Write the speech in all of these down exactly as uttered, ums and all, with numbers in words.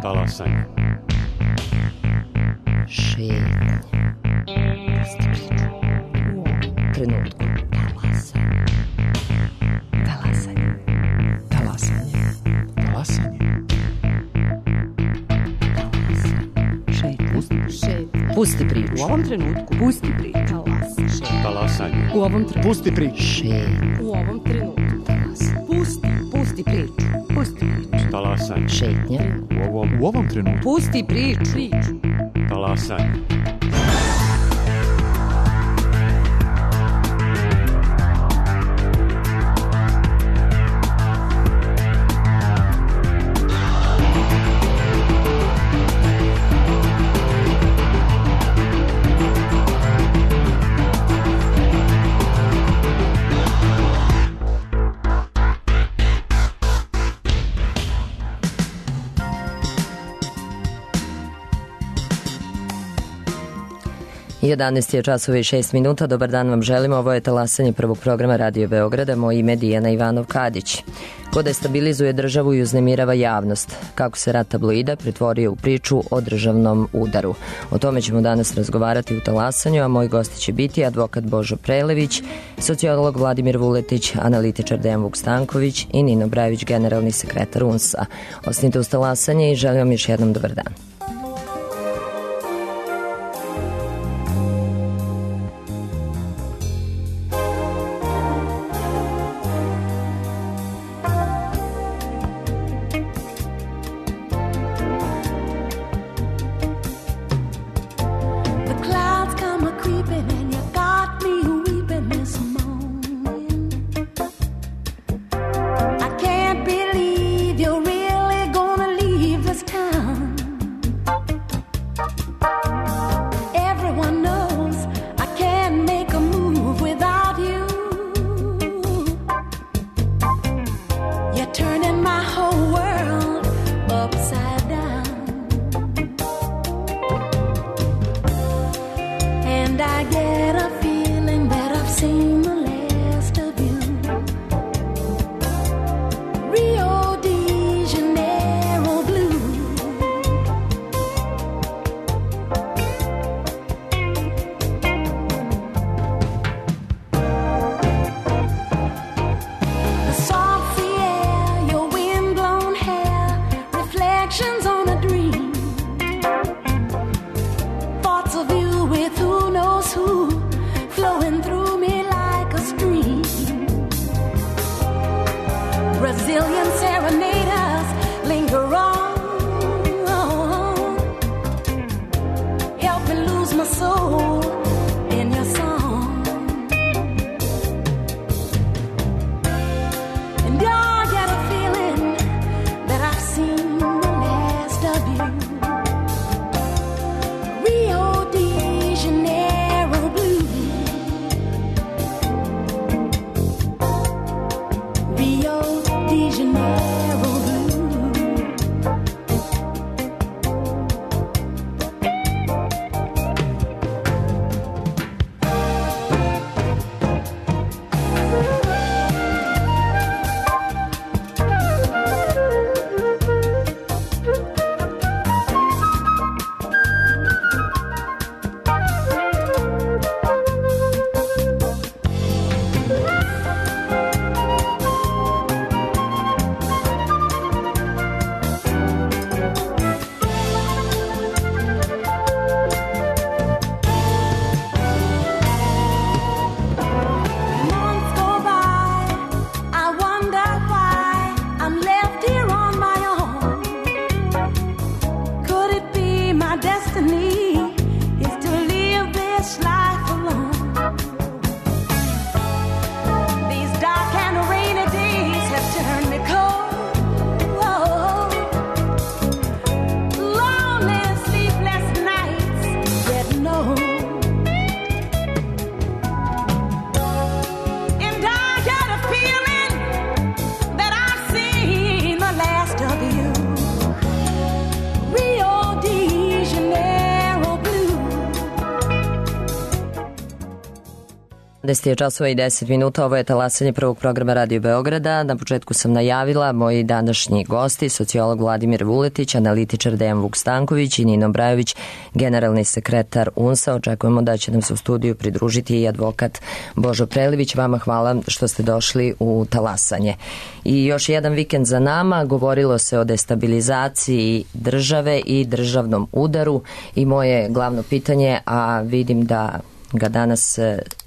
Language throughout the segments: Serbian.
Talasanje. Šetnje. Pusti priču. U ovom trenutku. Talasanje. Talasanje. Talasanje. Talasanje. Šetnje. Pusti priču. Pusti priču. U ovom trenutku. Pusti priču. Talasanje. U ovom trenutku. Pusti priču. Šetnje. U ovom trenutku. Pusti. Pusti priču. Pusti priču. Talasanje. Šetnje. U ovom, U ovom trenutku. Pusti priču. Priču. talasanje. jedanaest je časova i šest minuta. Dobar dan vam želimo. Ovo je talasanje prvog programa Radio Beograda. Moje ime je Dijana Ivanov-Kadić. Ko destabilizuje državu i uznemirava javnost. Kako se rat tabloida pretvorio u priču o državnom udaru. O tome ćemo danas razgovarati u talasanju, a moji gosti će biti advokat Božo Prelević, sociolog Vladimir Vuletić, analitičar Dejan Vukstanković i Nino Brajević, generalni sekretar U N S A. Ostanite uz talasanje i želim vam još jednom dobar dan. Rio de Janeiro. deset je časova i deset minuta, ovo je talasanje prvog programa Radio Beograda. Na početku sam najavila moji današnji gosti, sociolog Vladimir Vuletić, analitičar Dejan Vuk-Stanković i Nino Brajović, generalni sekretar U N S A. Očekujemo da će nam se u studiju pridružiti i advokat Božo Prelivić. Vama hvala što ste došli u talasanje. I još jedan vikend za nama, govorilo se o destabilizaciji države i državnom udaru i moje glavno pitanje, a vidim da ga danas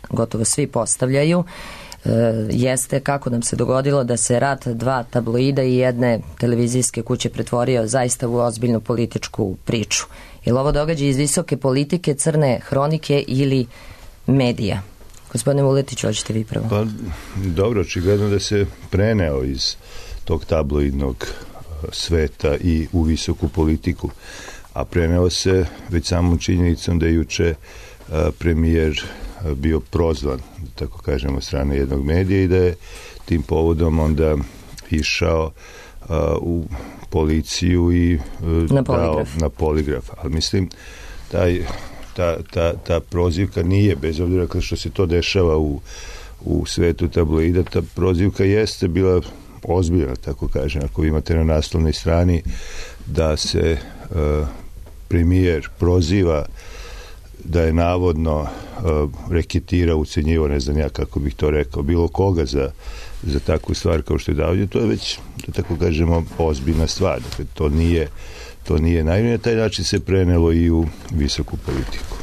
gotovo svi postavljaju, jeste kako nam se dogodilo da se rat dva tabloida i jedne televizijske kuće pretvorio zaista u ozbiljnu političku priču. Je li ovo događaj iz visoke politike, crne hronike ili medija? Gospodine Vuletić, hoćete vi prvo? Pa, dobro, očigledno da se preneo iz tog tabloidnog sveta i u visoku politiku, a preneo se već samom činjenicom da je juče premijer bio prozvan, tako kažemo, od strane jednog medija i da je tim povodom onda išao uh, u policiju i uh, na dao poligraf. na poligraf. Ali mislim, taj, ta, ta, ta prozivka nije, bez obzira što se to dešava u, u svetu tabloida, ta prozivka jeste bila ozbiljna, tako kažem. Ako imate na naslovnoj strani da se uh, premijer proziva da je navodno uh, reketirao, ucenjivo, ne znam ja kako bih to rekao, bilo koga za, za takvu stvar kao što je davio, to je već, da tako kažemo, ozbiljna stvar. Dakle, to nije, to nije najmanje. Na taj način se prenelo i u visoku politiku.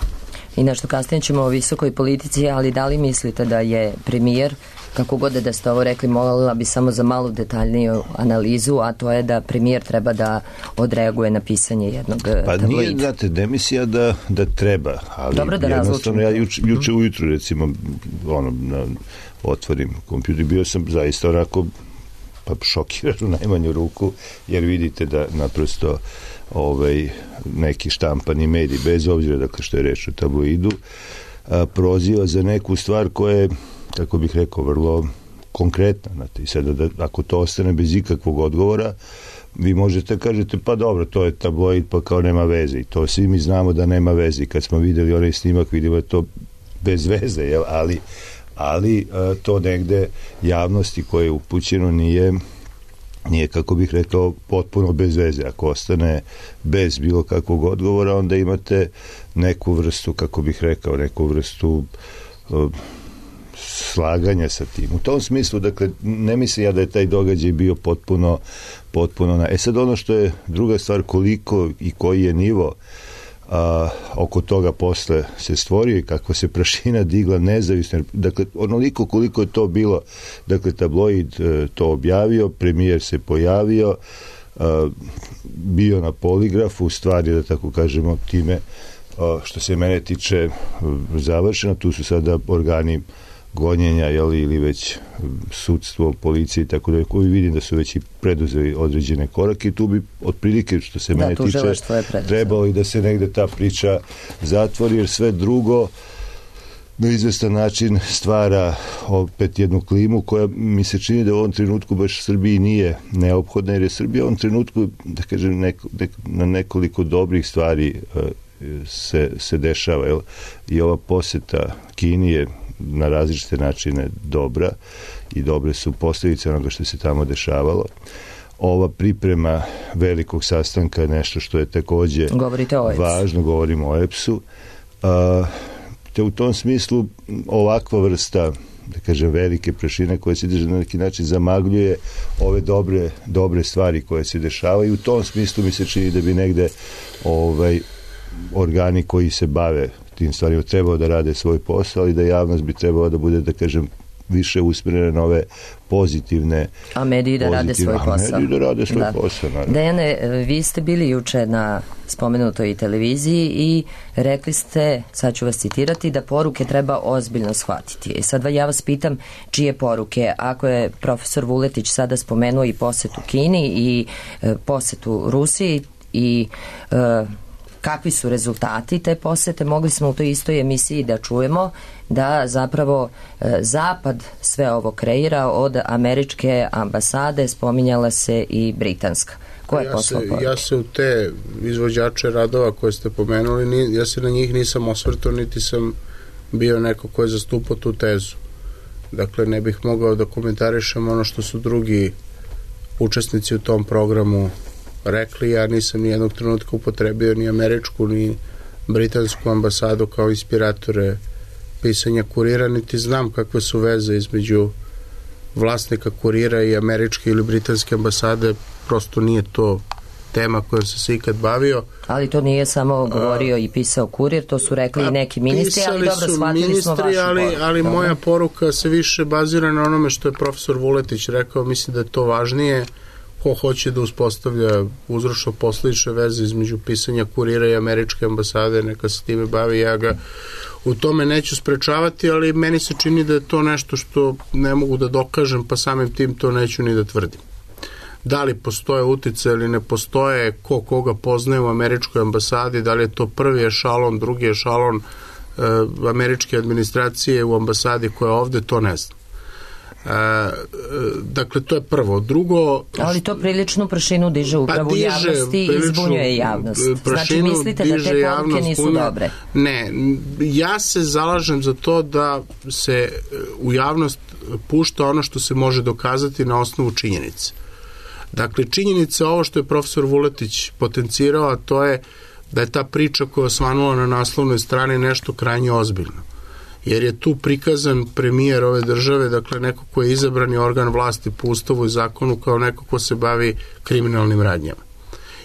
I nešto kasnije ćemo o visokoj politici, ali da li mislite da je premijer, kako god da ste ovo rekli, molila bi samo za malu detaljniju analizu, a to je da premijer treba da odreaguje na pisanje jednog pa tabloida. Pa nije, znate, demisija da, da treba, ali dobro, da jednostavno ja juče, juče mm. ujutru, recimo, ono, na, otvorim kompjuter, bio sam zaista onako pa šokiran u najmanju ruku, jer vidite da naprosto ovaj, neki štampani mediji, bez obzira dakle što je reč o tabloidu, a, proziva za neku stvar koja je, kako bih rekao, vrlo konkretna. Znate, i sada da, ako to ostane bez ikakvog odgovora, vi možete kažete, pa dobro, to je tabloid, pa kao nema veze. I to svi mi znamo da nema veze. I kad smo videli onaj snimak, vidimo da to bez veze, jel? ali, ali a, to negde javnosti koje je upućeno nije nije, kako bih rekao, potpuno bez veze. Ako ostane bez bilo kakvog odgovora, onda imate neku vrstu, kako bih rekao, neku vrstu uh, slaganja sa tim. U tom smislu, dakle, ne mislim ja da je taj događaj bio potpuno, potpuno na... E sad ono što je druga stvar, koliko i koji je nivo a, oko toga posle se stvorio i kako se prašina digla nezavisno. Dakle, onoliko koliko je to bilo, dakle, tabloid e, to objavio, premijer se pojavio, a, bio na poligrafu, stvari, da tako kažemo, time a, što se mene tiče završeno, tu su sada organi gonjenja, jeli, ili već sudstvo, policije i tako da, koji vidim da su već i preduzeli određene korake i tu bi otprilike, što se da, mene tiče, trebalo i da se negde ta priča zatvori, jer sve drugo na izvestan način stvara opet jednu klimu koja mi se čini da u ovom trenutku baš Srbiji nije neophodna, jer je Srbija u ovom trenutku, da kažem, neko, nek, na nekoliko dobrih stvari se, se dešava, jel? I ova poseta Kini je na različite načine dobra i dobre su posljedice onoga što se tamo dešavalo. Ova priprema velikog sastanka je nešto što je takođe važno, govorimo o E P S-u. A, te u tom smislu ovakva vrsta, da kažem, velike prašine koje se na neki način zamagljuje ove dobre, dobre stvari koje se dešavaju. U tom smislu mi se čini da bi negde ovaj, organi koji se bave tim stvarima trebao da rade svoj posao, ali da javnost bi trebala da bude, da kažem, više usmjerena na ove pozitivne... A mediji da rade svoj posao. A mediji da rade svoj da. posao, naravno. Dejane, vi ste bili juče na spomenutoj televiziji i rekli ste, sad ću vas citirati, da poruke treba ozbiljno shvatiti. I sad ja vas pitam čije poruke, ako je profesor Vuletić sada spomenuo i posetu Kini i e, posetu Rusiji i... E, kakvi su rezultati te posete, mogli smo u toj istoj emisiji da čujemo da zapravo e, Zapad sve ovo kreira, od američke ambasade spominjala se i britanska. Ko je ja, poslao se, ja se u te izvođače radova koje ste pomenuli, ni, ja se na njih nisam osvrtao, niti sam bio neko ko je zastupao tu tezu. Dakle, ne bih mogao da komentarišem ono što su drugi učesnici u tom programu rekli. Ja nisam ni jednog trenutka upotrebio ni američku, ni britansku ambasadu kao inspiratore pisanja Kurira, niti znam kakve su veze između vlasnika Kurira i američke ili britanske ambasade. Prosto nije to tema kojom sam se ikad bavio. Ali to nije samo govorio i pisao Kurir, to su rekli i neki ministri, ali dobro, shvatili ministri, smo vašu ali, poruku. ali moja poruka se više bazira na onome što je profesor Vuletić rekao. Mislim da je to važnije. Ko hoće da uspostavlja uzročno-posledične veze između pisanja Kurira i američke ambasade, neka se time bavi. Ja ga u tome neću sprečavati, ali meni se čini da je to nešto što ne mogu da dokažem, pa samim tim to neću ni da tvrdim. Da li postoje utice ili ne postoje, ko koga poznaje u američkoj ambasadi, da li je to prvi ešalon, drugi ešalon e, američke administracije u ambasadi koja je ovde, to ne znam. E, dakle, to je prvo. Drugo... Ali to priličnu prašinu diže upravo u javnosti i izbunjuje javnost. Znači, mislite da te poruke nisu punja, dobre? Ne, ja se zalažem za to da se u javnost pušta ono što se može dokazati na osnovu činjenice. Dakle, činjenica ovo što je profesor Vuletić potencirao, a to je da je ta priča koja je osvanula na naslovnoj strani nešto krajnje ozbiljno. Jer je tu prikazan premijer ove države, dakle neko ko je izabrani organ vlasti po ustavu i zakonu kao neko ko se bavi kriminalnim radnjama.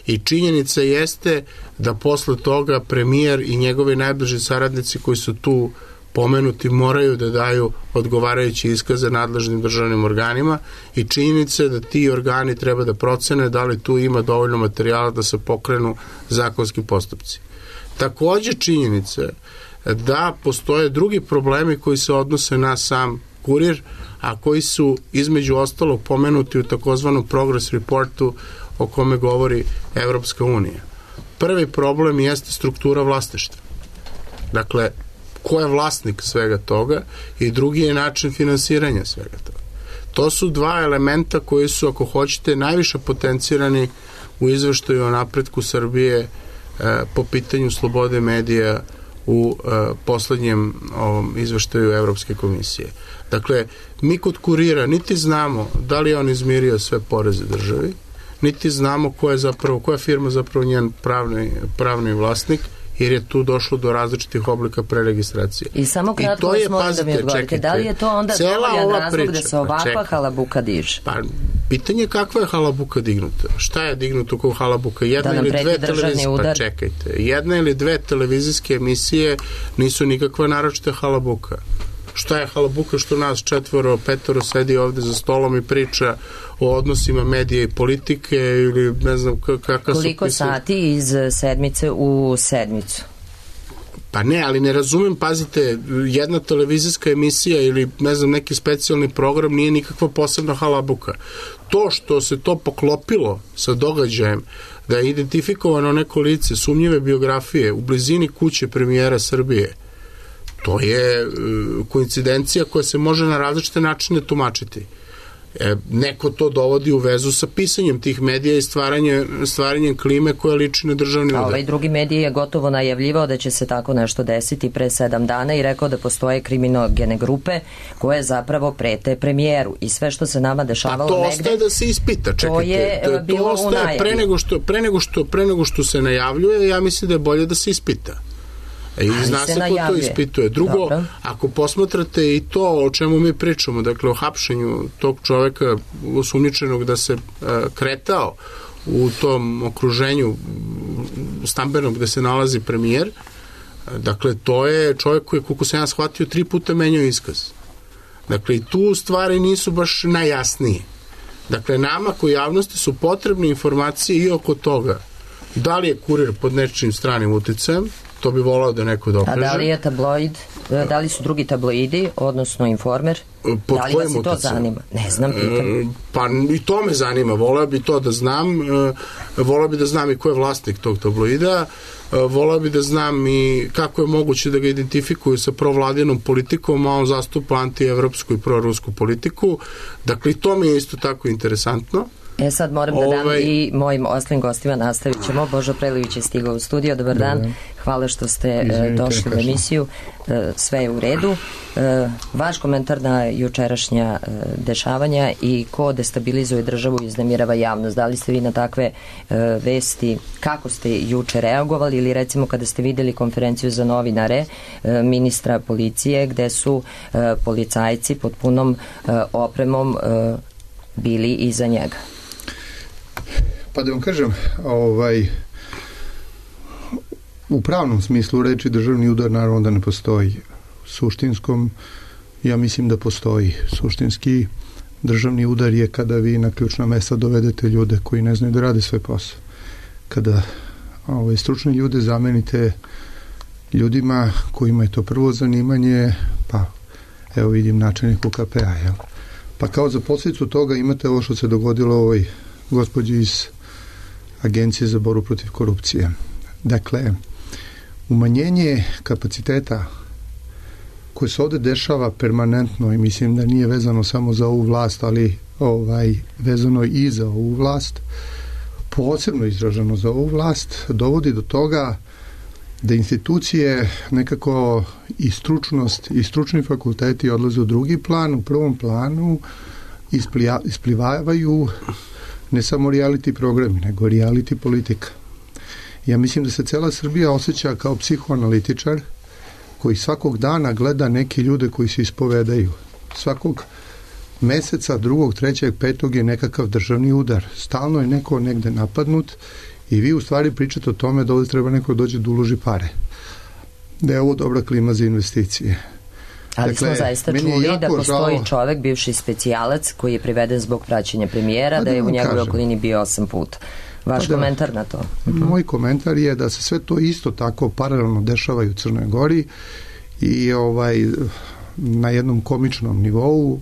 I činjenica jeste da posle toga premijer i njegovi najbliži saradnici koji su tu pomenuti moraju da daju odgovarajuće iskaze nadležnim državnim organima i činjenica je da ti organi treba da procene da li tu ima dovoljno materijala da se pokrenu zakonski postupci. Takođe činjenica je da postoje drugi problemi koji se odnose na sam Kurir, a koji su između ostalog pomenuti u takozvanom Progress Reportu o kome govori Evropska unija. Prvi problem jeste struktura vlasništva. Dakle, ko je vlasnik svega toga i drugi je način finansiranja svega toga. To su dva elementa koji su, ako hoćete, najviše potencirani u izveštaju o napretku Srbije e, po pitanju slobode medija u e, poslednjem ovom izveštaju Evropske komisije. Dakle, mi kod Kurira niti znamo da li je on izmirio sve poreze državi, niti znamo ko je zapravo, koja firma zapravo njen pravni, pravni vlasnik, jer je tu došlo do različitih oblika preregistracije. I samo kratko vas molim da mi odgovorite, da li je to onda dovoljan razlog priča, da se ovakva pa halabuka diže? Pa, pitanje je kakva je halabuka dignuta. Šta je dignuto kao halabuka? Jedna ili dve televizijske, pa čekajte, jedna ili dve televizijske emisije nisu nikakva naročita halabuka. Šta je halabuka što nas četvoro, petoro sedi ovde za stolom i priča o odnosima medije i politike ili ne znam kakav su... Koliko sati iz sedmice u sedmicu? Pa ne, ali ne razumem, pazite, jedna televizijska emisija ili ne znam neki specijalni program nije nikakva posebna halabuka. To što se to poklopilo sa događajem da je identifikovano neko lice sumnjive biografije u blizini kuće premijera Srbije, to je koincidencija koja se može na različite načine tumačiti. E, neko to dovodi u vezu sa pisanjem tih medija i stvaranje, stvaranjem klime koja liči na državni udar. A ovaj drugi medij je gotovo najavljivao da će se tako nešto desiti pre sedam dana i rekao da postoje kriminogene grupe koje zapravo prete premijeru i sve što se nama dešavalo negde... Pa to negde, ostaje da se ispita, čekajte. To je to, bilo to ostaje u najavi. Pre nego, što, pre, nego što, pre nego što se najavljuje, ja mislim da je bolje da se ispita. I zna se ko to ispituje. Drugo, dobro, ako posmatrate i to o čemu mi pričamo, dakle o hapšenju tog čoveka osumnjičenog da se uh, kretao u tom okruženju stambenog gde se nalazi premijer, dakle to je čovjek koji, koliko sam ja shvatio, tri puta menjao iskaz. Dakle i tu stvari nisu baš najjasnije. Dakle, nama koji javnosti su potrebne informacije i oko toga da li je Kurir pod nečim stranim uticajem, to bi volao da neko dokaže. A da li je tabloid, da li su drugi tabloidi, odnosno Informer? Pod da li vas i to zanima? Ne znam, pitam. Pa i to me zanima, volao bi to da znam, volao bi da znam i ko je vlasnik tog tabloida, volao bi da znam i kako je moguće da ga identifikuju sa provladinom politikom, a on zastupa antievropsku i prorusku politiku. Dakle, to mi je isto tako interesantno. E sad moram da dam ovaj... i mojim ostalim gostima, nastavit ćemo. Božo Prelivić je stigao u studio, dobar dan. Dobar. Hvala što ste Izvinite, došli u emisiju. Sve je u redu. Vaš komentar na jučerašnja dešavanja i ko destabilizuje državu i uznemirava javnost. Da li ste vi na takve vesti, kako ste juče reagovali ili recimo kada ste videli konferenciju za novinare ministra policije gde su policajci pod punom opremom bili iza njega? Pa da vam kažem, ovaj, u pravnom smislu reči državni udar naravno da ne postoji. Suštinskom, ja mislim da postoji. Suštinski državni udar je kada vi na ključna mesta dovedete ljude koji ne znaju da rade svoj posao. Kada ovaj, stručne ljude zamenite ljudima kojima je to prvo zanimanje, pa evo vidim načelnik U K P-a, jel? Pa kao za posljedicu toga imate ovo što se dogodilo ovoj gospođi iz Agencije za borbu protiv korupcije. Dakle, umanjenje kapaciteta koje se ovde dešava permanentno i mislim da nije vezano samo za ovu vlast, ali ovaj, vezano i za ovu vlast, posebno izraženo za ovu vlast, dovodi do toga da institucije nekako i stručnost i stručni fakulteti odlaze u drugi plan, u prvom planu isplija, isplivavaju ne samo reality programi, nego reality politika. Ja mislim da se cela Srbija osjeća kao psihoanalitičar koji svakog dana gleda neke ljude koji se ispovedaju. Svakog meseca, drugog, trećeg, petog je nekakav državni udar. Stalno je neko negde napadnut i vi u stvari pričate o tome da ovdje treba neko dođe da uloži pare. Da je ovo dobra klima za investicije. Ali dakle, smo zaista čuli da postoji žao... čovek, bivši specijalac, koji je priveden zbog praćenja premijera, da, da je u njegovoj okolini bio osam puta. Vaš pa komentar da, na to? Moj komentar je da se sve to isto tako paralelno dešava i u Crnoj Gori i ovaj, na jednom komičnom nivou.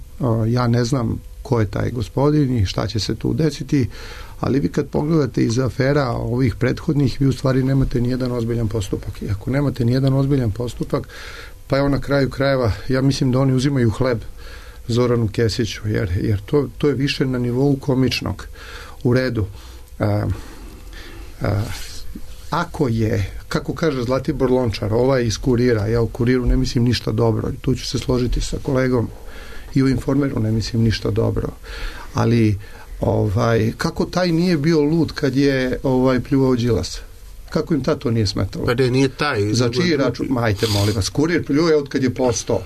Ja ne znam ko je taj gospodin i šta će se tu desiti, ali vi kad pogledate iz afera ovih prethodnih, vi u stvari nemate nijedan ozbiljan postupak. I ako nemate nijedan ozbiljan postupak, pa evo na kraju krajeva, ja mislim da oni uzimaju hleb Zoranu Kesiću, jer, jer to, to je više na nivou komičnog. U redu. A, a, ako je, kako kaže Zlatibor Lončar, ovaj iz Kurira, ja u Kuriru ne mislim ništa dobro, tu ću se složiti sa kolegom, i u Informeru ne mislim ništa dobro, ali ovaj, kako taj nije bio lud kad je ovaj pljuvao Đilasa? Kako im tad to nije smetalo? Pa da nije taj. Za čiji račun? Majte, molim vas. Kurir pljuje od kad je postao.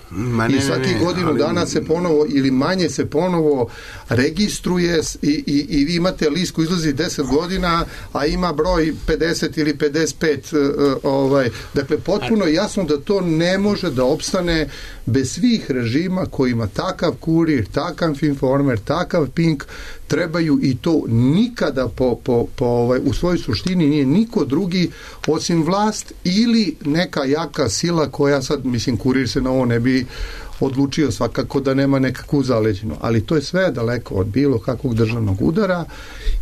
I svaki ne, ne, godinu ali... dana se ponovo ili manje se ponovo registruje i, i, i vi imate list koji izlazi deset godina, a ima broj pedeset ili pedeset pet. Uh, ovaj. Dakle, potpuno je jasno da to ne može da opstane bez svih režima kojima takav Kurir, takav Informer, takav Pink trebaju i to nikada po, po, po ovaj, u svojoj suštini nije niko drugi osim vlast ili neka jaka sila koja sad, mislim, Kurir se na ovo ne bi odlučio svakako da nema nekakvu zaleđenu, ali to je sve daleko od bilo kakvog državnog udara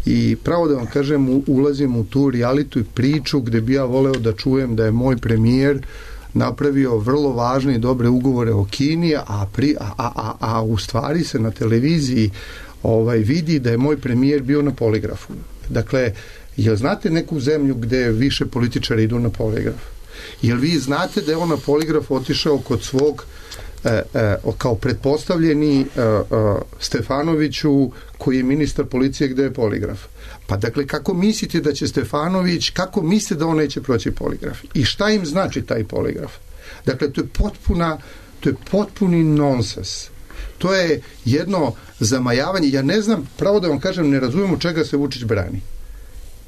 i pravo da vam kažem, ulazim u tu reality priču gde bi ja voleo da čujem da je moj premijer napravio vrlo važne i dobre ugovore o Kini, a, pri, a, a, a, a u stvari se na televiziji ovaj, vidi da je moj premijer bio na poligrafu. Dakle, jel znate neku zemlju gde više političari idu na poligraf? Jel vi znate da je on na poligraf otišao kod svog e, e, kao pretpostavljeni e, e, Stefanoviću koji je ministar policije gde je poligraf? Pa dakle, kako mislite da će Stefanović, kako mislite da on neće proći poligraf? I šta im znači taj poligraf? Dakle, to je potpuna, to je potpuni nonsens. To je jedno zamajavanje. Ja ne znam, pravo da vam kažem, ne razumijem od čega se Vučić brani.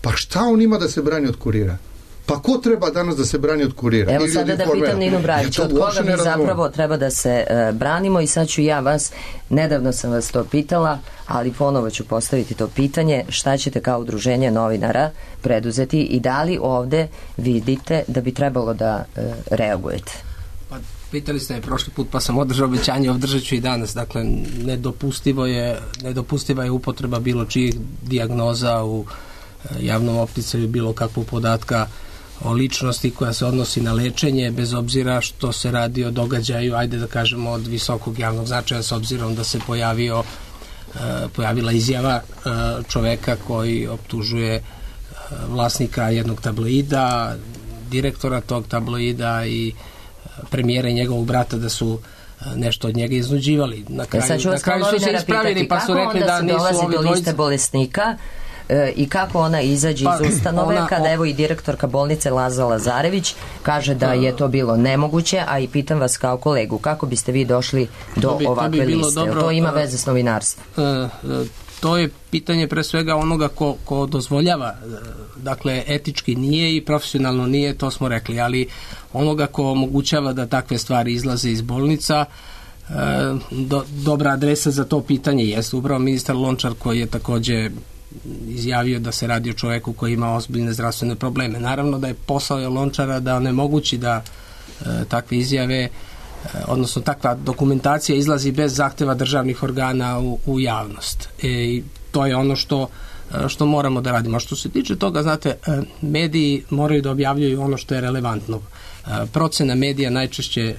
Pa šta on ima da se brani od Kurira? Pa ko treba danas da se brani od Kurira? Evo sada da pitam Ninu Brajić, ja od koga mi zapravo treba da se uh, branimo i sad ću ja vas, nedavno sam vas to pitala, ali ponovo ću postaviti to pitanje, šta ćete kao udruženje novinara preduzeti i da li ovde vidite da bi trebalo da uh, reagujete? Pa pitali ste me prošli put, pa sam održao obećanje, održat ću i danas. Dakle, nedopustivo je, nedopustiva je upotreba bilo čijih dijagnoza u javnom opticaju, bilo kakvog podatka o ličnosti koja se odnosi na lečenje, bez obzira što se radi o događaju, ajde da kažemo, od visokog javnog značaja, s obzirom da se pojavio pojavila izjava čoveka koji optužuje vlasnika jednog tabloida, direktora tog tabloida i premijera i njegovog brata da su nešto od njega iznuđivali. Na kraju, sad ću vas kao novinara pitati, pa su rekli da nisu dolazi do liste dvojice bolesnika e, i kako ona izađe pa, iz ustanove ona, kada evo i direktorka bolnice Laza Lazarević kaže da je to bilo nemoguće, a i pitam vas kao kolegu, kako biste vi došli do to bi, ovakve to bi liste? Dobro, to ima veze s novinarstvom? Uh, uh, to je pitanje pre svega onoga ko, ko dozvoljava, dakle etički nije i profesionalno nije, to smo rekli, ali onoga ko omogućava da takve stvari izlaze iz bolnica, e, do, dobra adresa za to pitanje jeste upravo ministar Lončar, koji je takođe izjavio da se radi o čoveku koji ima ozbiljne zdravstvene probleme. Naravno da je posao je Lončara da onemogući da e, takve izjave, e, odnosno takva dokumentacija izlazi bez zahteva državnih organa u, u javnost. E, i to je ono što što moramo da radimo. A što se tiče toga, znate, mediji moraju da objavljuju ono što je relevantno. Procena medija najčešće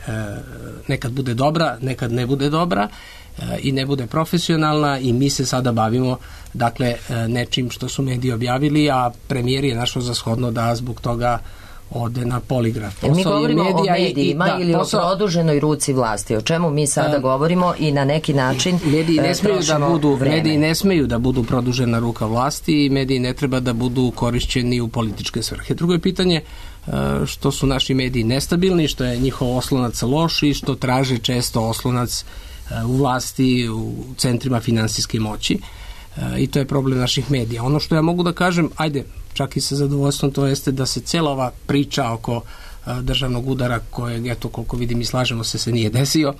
nekad bude dobra, nekad ne bude dobra i ne bude profesionalna i mi se sada bavimo dakle nečim što su mediji objavili, a premijer je našao za shodno da zbog toga ode na poligraf. Posao mi govorimo medija o medijima i, da, ili posao, o produženoj ruci vlasti. O čemu mi sada um, govorimo i na neki način mediji ne smeju da budu vreme. Mediji ne smeju da budu produžena ruka vlasti i mediji ne treba da budu korišćeni u političke svrhe. Drugo je pitanje što su naši mediji nestabilni, što je njihov oslonac loš i što traže često oslonac u vlasti, u centrima finansijske moći. I to je problem naših medija. Ono što ja mogu da kažem, ajde, čak i sa zadovoljstvom, to jeste da se cijela ova priča oko a, državnog udara, kojeg, eto, koliko vidim i slažemo se, se nije desio,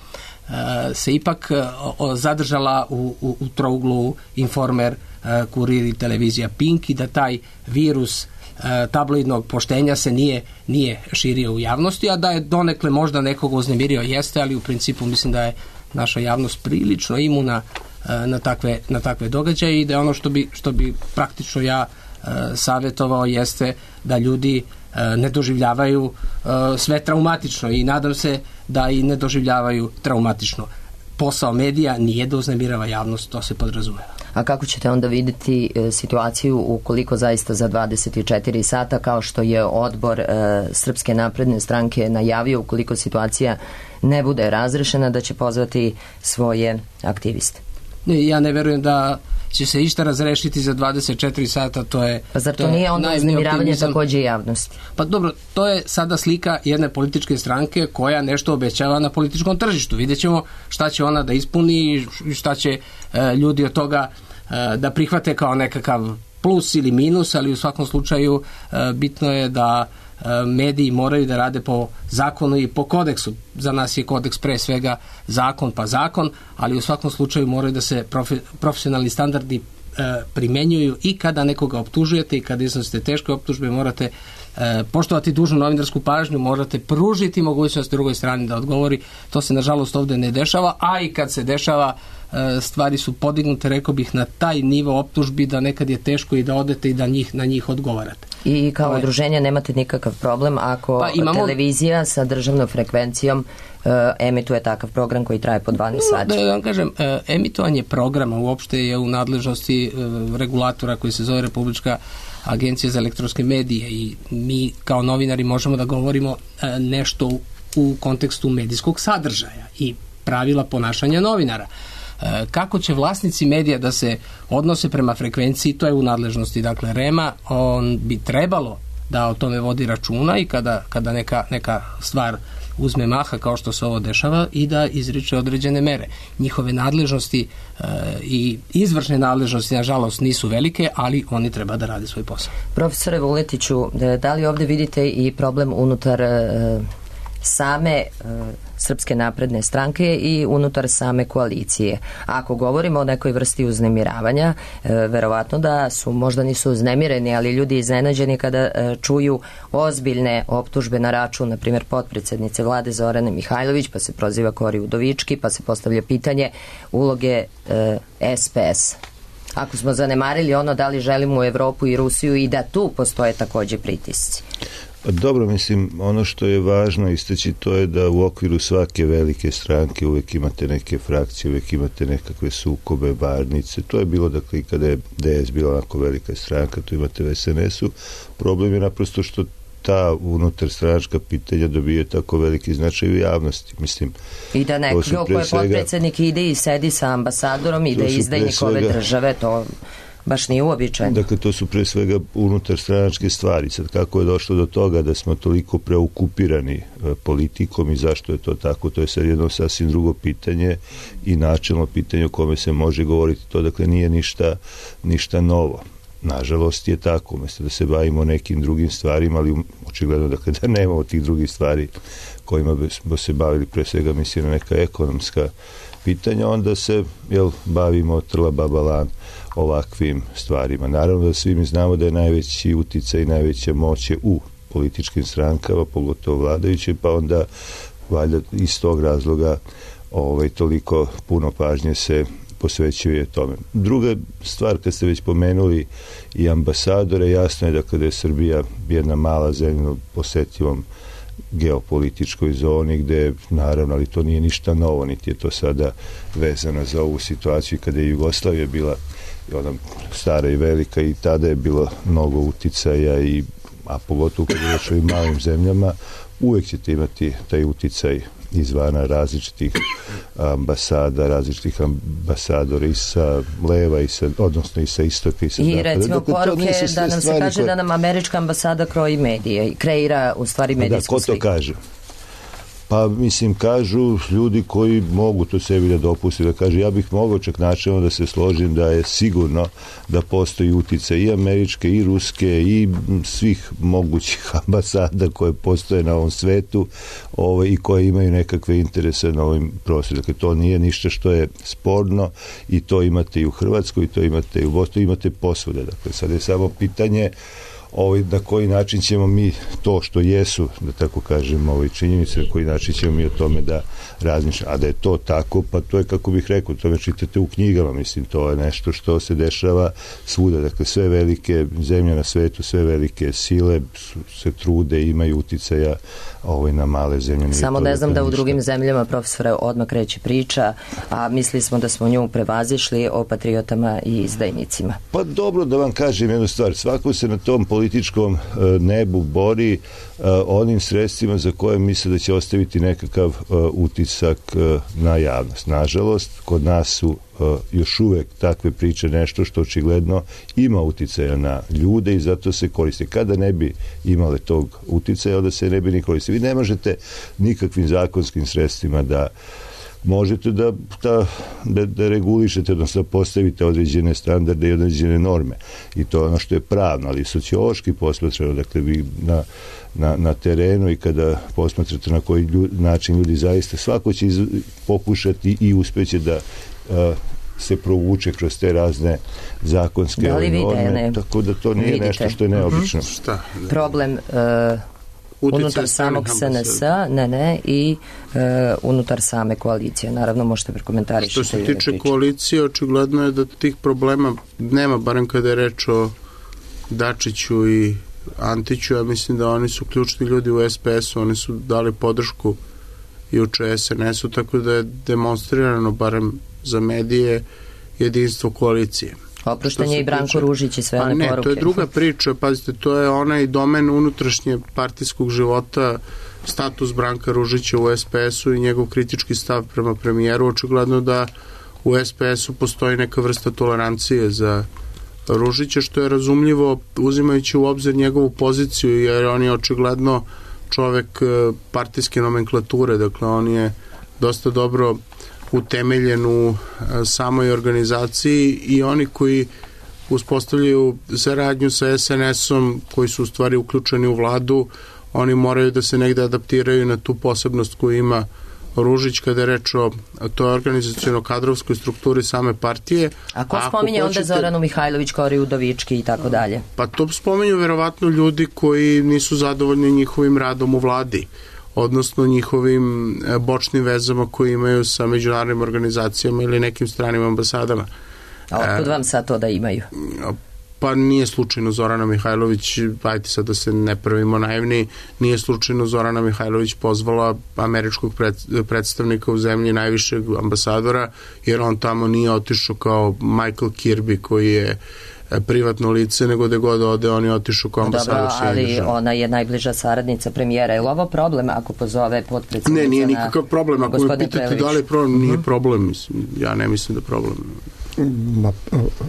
a, se ipak a, o, zadržala u, u, u trouglu Informer, a, Kurir i televizija Pink i da taj virus a, tabloidnog poštenja se nije, nije širio u javnosti, a da je donekle možda nekoga uznemirio, jeste, ali u principu mislim da je naša javnost prilično imuna na takve, na takve događaje i da je ono što bi, što bi praktično ja e, savjetovao jeste da ljudi e, ne doživljavaju e, sve traumatično i nadam se da i ne doživljavaju traumatično. Posao medija nije da uznemirava javnost, to se podrazumeva. A kako ćete onda vidjeti e, situaciju ukoliko zaista za dvadeset četiri sata, kao što je odbor e, Srpske napredne stranke najavio, ukoliko situacija ne bude razrešena, da će pozvati svoje aktiviste? Ja ne verujem da će se išta razrešiti za dvadeset četiri sata, to je... Pa zar to, to nije onda uznemiravanje takođe javnosti? Pa dobro, to je sada slika jedne političke stranke koja nešto obećava na političkom tržištu. Vidjet ćemo šta će ona da ispuni i šta će e, ljudi od toga e, da prihvate kao nekakav plus ili minus, ali u svakom slučaju e, bitno je da mediji moraju da rade po zakonu i po kodeksu. Za nas je kodeks pre svega zakon pa zakon, ali u svakom slučaju moraju da se profe, profesionalni standardi e, primenjuju i kada nekoga optužujete i kada iznosite teške optužbe morate e, poštovati dužnu novinarsku pažnju, morate pružiti mogućnost drugoj strani da odgovori. To se nažalost ovde ne dešava, a i kad se dešava e, stvari su podignute, rekao bih, na taj nivo optužbi da nekad je teško i da odete i da njih, na njih odgovarate. I kao ovaj. udruženja nemate nikakav problem ako pa imamo... televizija sa državnom frekvencijom uh, emituje takav program koji traje po dvanaest sati. Da, da vam kažem, uh, emitovanje programa uopšte je u nadležnosti uh, regulatora koji se zove Republička agencija za elektronske medije i mi kao novinari možemo da govorimo uh, nešto u, u kontekstu medijskog sadržaja i pravila ponašanja novinara. Kako će vlasnici medija da se odnose prema frekvenciji, to je u nadležnosti dakle REM-a, on bi trebalo da o tome vodi računa i kada, kada neka, neka stvar uzme maha kao što se ovo dešava i da izriče određene mere. Njihove nadležnosti e, i izvršne nadležnosti nažalost nisu velike, ali oni treba da rade svoj posao. Profesore Vuletiću, da li ovde vidite i problem unutar e, same e, Srpske napredne stranke i unutar same koalicije? Ako govorimo o nekoj vrsti uznemiravanja, e, verovatno da su, možda nisu uznemireni, ali ljudi iznenađeni kada e, čuju ozbiljne optužbe na račun, na primjer, potpredsednice vlade Zorane Mihajlović, pa se proziva Kori Udovički, pa se postavlja pitanje uloge e, S P S. Ako smo zanemarili ono da li želimo u Evropu i Rusiju i da tu postoje takođe pritisci. Dobro, mislim, ono što je važno istaći to je da u okviru svake velike stranke uvek imate neke frakcije, uvek imate nekakve sukobe, varnice. To je bilo, dakle, i kada je D S bila onako velika stranka, tu imate u S N S-u. Problem je naprosto što ta unutar stranačka pitanja dobije tako veliki značaj u javnosti. Mislim, i da neko ko je svega, potpredsjednik ide i sedi sa ambasadorom i da je izdajnik ove države, to baš nije uobičajeno. Dakle, to su pre svega unutar stranačke stvari. Sad, kako je došlo do toga da smo toliko preokupirani e, politikom i zašto je to tako, to je sad jedno sasvim drugo pitanje i načelno pitanje o kome se može govoriti. To, dakle, nije ništa, ništa novo. Nažalost je tako, umjesto da se bavimo nekim drugim stvarima, ali očigledno dakle, da nemamo tih drugih stvari kojima bi se bavili, pre svega mislim na neka ekonomska pitanja, onda se jel, bavimo trla babalan ovakvim stvarima. Naravno da svi mi znamo da je najveći uticaj i najveća moć je u političkim strankama, pogotovo vladajuće, pa onda valjda iz tog razloga ovaj, toliko puno pažnje se posvećuje tome. Druga stvar, kad ste već pomenuli i ambasadore, jasno je da kada je Srbija jedna mala zemlja u posetivom geopolitičkoj zoni gde, naravno, ali to nije ništa novo, niti je to sada vezano za ovu situaciju kada je Jugoslavija bila ona stara i velika i tada je bilo mnogo uticaja i, a pogotovo kada je u malim zemljama, uvek ćete imati taj uticaj izvana različitih ambasada, različitih ambasadora i sa leva i sa, odnosno i sa istoka i sa zapada. I recimo dakle, poruke da nam se kaže koje... da nam američka ambasada kroji medije i kreira u stvari medijsku sliku. Da, ko to kaže? Pa, mislim, kažu ljudi koji mogu to sebi da dopusti, da kaže, ja bih mogao čak načelno da se složim da je sigurno da postoji uticaj i američke, i ruske, i svih mogućih ambasada koje postoje na ovom svetu ovaj, i koje imaju nekakve interese na ovim prostoru. Dakle, to nije ništa što je sporno i to imate i u Hrvatskoj, i to imate i u Bosni, imate posvuda. Dakle, sad je samo pitanje ovaj, na koji način ćemo mi to što jesu, da tako kažem, ovaj, činjenice, na koji način ćemo mi o tome da razmišljamo. A da je to tako, pa to je, kako bih rekao, to me čitate u knjigama, mislim, to je nešto što se dešava svuda. Dakle, sve velike zemlje na svetu, sve velike sile se trude i imaju uticaja ovaj, na male zemlje. Samo ne znam da u drugim zemljama, profesore, odmah kreće priča, a mislili smo da smo nju prevazišli o patriotama i izdajnicima. Pa dobro, da vam kažem jednu stvar, svako se na tom političkom nebu bori onim sredstvima za koje misle da će ostaviti nekakav utisak na javnost. Nažalost, kod nas su još uvek takve priče nešto što očigledno ima uticaja na ljude i zato se koriste. Kada ne bi imale tog uticaja, onda se ne bi ni koriste. Vi ne možete nikakvim zakonskim sredstvima da možete da, da, da, da regulišete, odnosno da postavite određene standarde i određene norme. I to je ono što je pravno, ali sociološki posmatrano, dakle vi na, na, na terenu i kada posmatrate na koji ljud, način ljudi zaista, svako će iz, pokušati i uspeće da uh, se provuče kroz te razne zakonske da li norme, vide, ne? tako da to nije Vidite. nešto što je neobično. Uh-huh. Šta? Problem uh, unutar samog S N S-a, ne, ne, i e, unutar same koalicije. Naravno, možete prekomentarišiti. Što se tiče koalicije, očigledno je da tih problema nema, barem kada je reč o Dačiću i Antiću. Ja mislim da oni su ključni ljudi u S P S-u, oni su dali podršku juče S N S-u, tako da je demonstrirano, barem za medije, jedinstvo koalicije. Oprošten je i Branko Ružić i sve one ne, poruke. To je druga priča, pazite, to je onaj domen unutrašnje partijskog života, status Branka Ružića u S P S-u i njegov kritički stav prema premijeru. Očigledno da u S P S-u postoji neka vrsta tolerancije za Ružića, što je razumljivo uzimajući u obzir njegovu poziciju, jer on je očigledno čovek partijske nomenklature, dakle on je dosta dobro utemeljen u samoj organizaciji i oni koji uspostavljaju saradnju sa S N S-om, koji su u stvari uključeni u vladu, oni moraju da se negde adaptiraju na tu posebnost koju ima Ružić kada je reč o toj organizacijono-kadrovskoj strukturi same partije. A ko spominje hoćete, onda Zoranu Mihajlović, Kori Udovički i tako dalje? Pa to spominju verovatno ljudi koji nisu zadovoljni njihovim radom u vladi, odnosno njihovim bočnim vezama koji imaju sa međunarodnim organizacijama ili nekim stranim ambasadama. A otkud vam sad to da imaju? Pa nije slučajno Zorana Mihajlović, ajte sad da se ne pravimo naivni, nije slučajno Zorana Mihajlović pozvala američkog pred, predstavnika u zemlji, najvišeg ambasadora, jer on tamo nije otišao kao Michael Kirby koji je privatno lice, nego da god ode, on je otišao kao ambasador. Dobro, ali ona je najbliža saradnica premijera. Je li ovo problem ako pozove potpredsjednica? Ne, nije nikakav problem. Ako me pitate da li je problem, nije problem. Mislim. Ja ne mislim da je problem. Ma,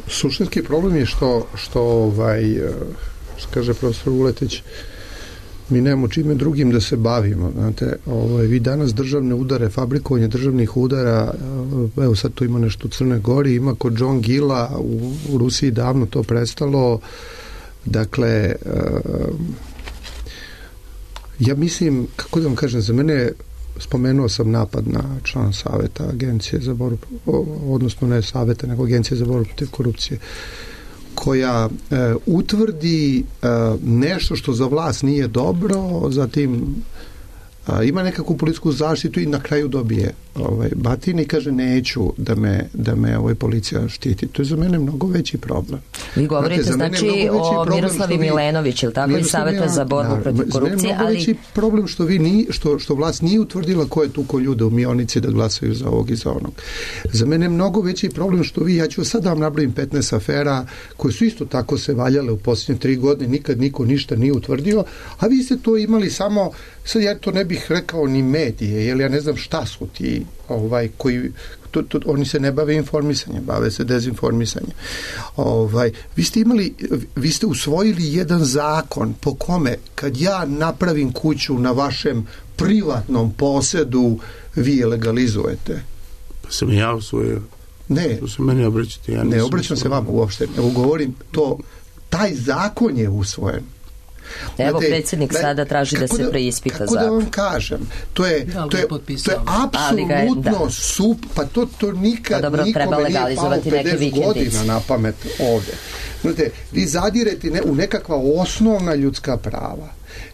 suštinski problem je što, što ovaj, što kaže profesor Vuletić, mi nemamo čime drugim da se bavimo. Znate, ovaj, vi danas državne udare, fabrikovanje državnih udara, evo sad tu ima nešto u Crnoj Gori, ima kod John Gilla, u, u Rusiji davno to prestalo. Dakle, ja mislim, kako da vam kažem, za mene, spomenuo sam napad na član saveta Agencije za borbu, odnosno ne saveta, nego Agencije za borbu protiv korupcije, koja e, utvrdi e, nešto što za vlast nije dobro, zatim a, ima nekakvu policijsku zaštitu i na kraju dobije ovaj, batin i kaže neću da me, da me ovaj policija štiti. To je za mene mnogo veći problem. Vi govorite Znate, znači o Miroslavi Milenović, ili tako, iz Saveta za borbu protiv korupcije, ali... Mnogo veći problem što, vi ni, što, što vlast nije utvrdila ko je tuko ljude u Mionici da glasaju za ovog i za onog. Za mene je mnogo veći problem što vi, ja ću sad da vam nabrojim petnaest afera koje su isto tako se valjale u posljednje tri godine, nikad niko ništa nije utvrdio, a vi ste to imali samo, sad ja to ne bih rekao ni medije, jer ja ne znam šta su ti ovaj, koji to, to, oni se ne bave informisanjem, bave se dezinformisanjem. Ovaj, vi ste imali, vi ste usvojili jedan zakon po kome kad ja napravim kuću na vašem privatnom posedu, vi je legalizujete. Pa sam ja usvojio. Ne. To se meni obraćate. Ja ne obraćam se vama uopšte. Evo govorim, to, taj zakon je usvojen. Evo, Znate, predsjednik da, sada traži da se da, preispita kako zakon. Kako da vam kažem? To je, to je, to je apsolutno da. sup, pa to, to nikad pa dobro, nikome nije palo pedeset godina na pamet ovde. Znate, vi zadirete ne, u nekakva osnovna ljudska prava.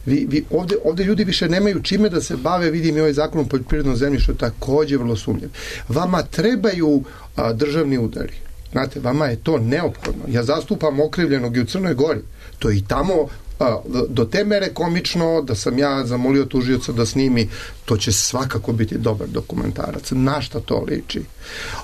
Vi, vi, ovde, ovde ljudi više nemaju čime da se bave, vidim i ovaj zakon o poljoprivrednom zemljištu takođe vrlo sumnjiv. Vama trebaju a, državni udari. Znate, vama je to neophodno. Ja zastupam okrivljenog i u Crnoj Gori. To je i tamo a, do te mere komično da sam ja zamolio tužioca da snimi, to će svakako biti dobar dokumentarac. Na šta to liči?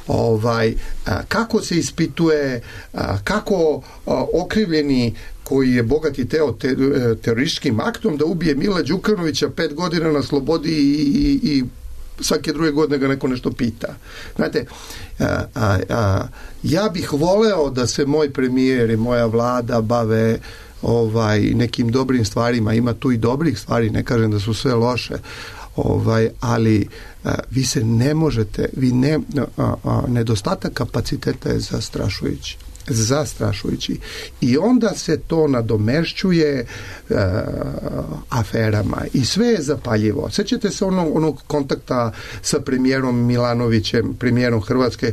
Ovaj, a, kako se ispituje, a, kako a, okrivljeni koji je bogati teo te, terorističkim aktom da ubije Mila Đukanovića pet godina na slobodi i, i, i svake druge godine ga neko nešto pita. Znate, a, a, a, ja bih voleo da se moj premijer i moja vlada bave ovaj, nekim dobrim stvarima. Ima tu i dobrih stvari, ne kažem da su sve loše, ovaj, ali a, vi se ne možete, vi ne, a, a, nedostatak kapaciteta je zastrašujući. zastrašujući. I onda se to nadomešćuje uh, aferama i sve je zapaljivo. Sećate se onog, onog kontakta sa premijerom Milanovićem, premijerom Hrvatske,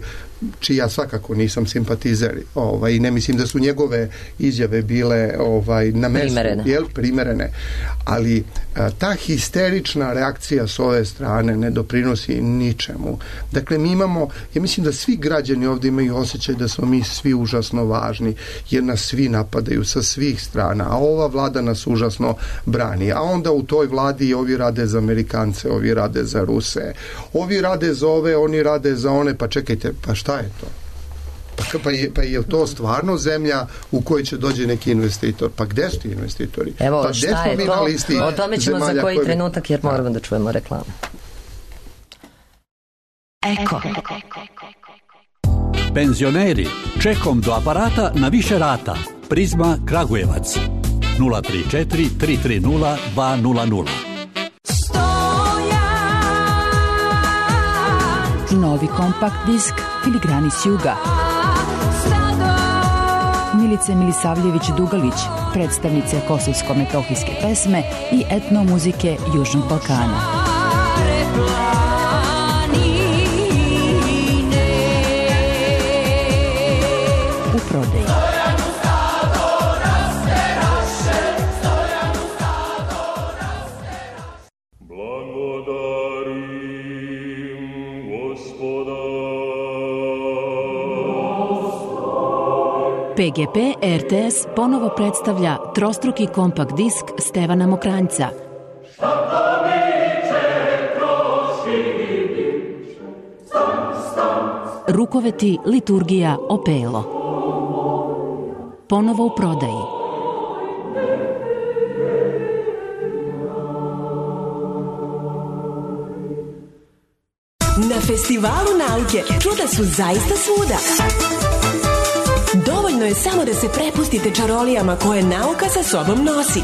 čiji ja svakako nisam simpatizer, ovaj, i ne mislim da su njegove izjave bile ovaj, na mestu, primerene. Jel, primerene. Ali a, ta histerična reakcija s ove strane ne doprinosi ničemu. Dakle, mi imamo, ja mislim da svi građani ovdje imaju osjećaj da smo mi svi užasno važni, jer nas svi napadaju sa svih strana, a ova vlada nas užasno brani. A onda u toj vladi ovi rade za Amerikance, ovi rade za Ruse, ovi rade za ove, oni rade za one, pa čekajte, pa šta je to? Pa, pa, je, pa je to stvarno zemlja u kojoj će dođe neki investitor? Pa gde su ti investitori? Evo, pa šta je to? O tome ćemo za koji koje... trenutak, jer moramo da čujemo reklamu. Eko. Penzioneri, čekom do aparata na više rata. Prizma Kragujevac. nula tri četiri tri tri nula dva nula nula. Novi kompakt disk Filigrani s juga. Milice Milisavljević-Dugalić, predstavnice kosovsko-metohijske pesme i etnomuzike Južnog Balkana. U prodaji. P G P R T S ponovo predstavlja trostruki kompakt disk Stevana Mokranjca. Rukoveti liturgija Opelo. Ponovo u prodaji. Na Festivalu nauke čuda su zaista svuda. Dovoljno je samo da se prepustite čarolijama koje nauka sa sobom nosi.